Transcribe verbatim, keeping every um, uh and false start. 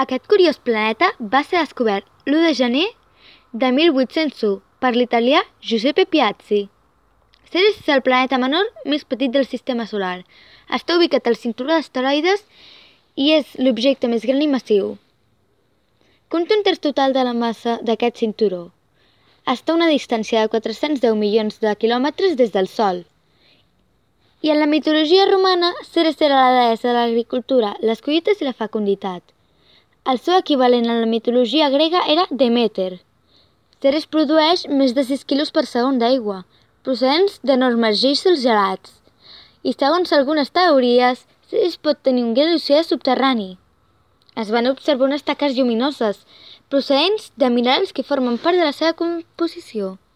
Aquest curiós planeta va ser descobert l'u de gener de mil vuit-cents u per l'italià Giuseppe Piazzi. Ceres és el planeta menor més petit del sistema solar. Està ubicat al cinturó d'asteroides i és l'objecte més gran i massiu. Compta un terç total de la massa d'aquest cinturó. Està a una distància de quatre-cents deu milions de quilòmetres des del Sol. I en la mitologia romana, Ceres era la deessa de l'agricultura, les collites i la fecunditat. El seu equivalent en la mitologia grega era Deméter. Ceres produeix més de sis quilos per segon d'aigua, procedents d'enormes gíxols gelats. I segons algunes teories, Ceres pot tenir un gran oceà subterrani. Es van observar unes taques lluminoses, procedents de minerals que formen part de la seva composició.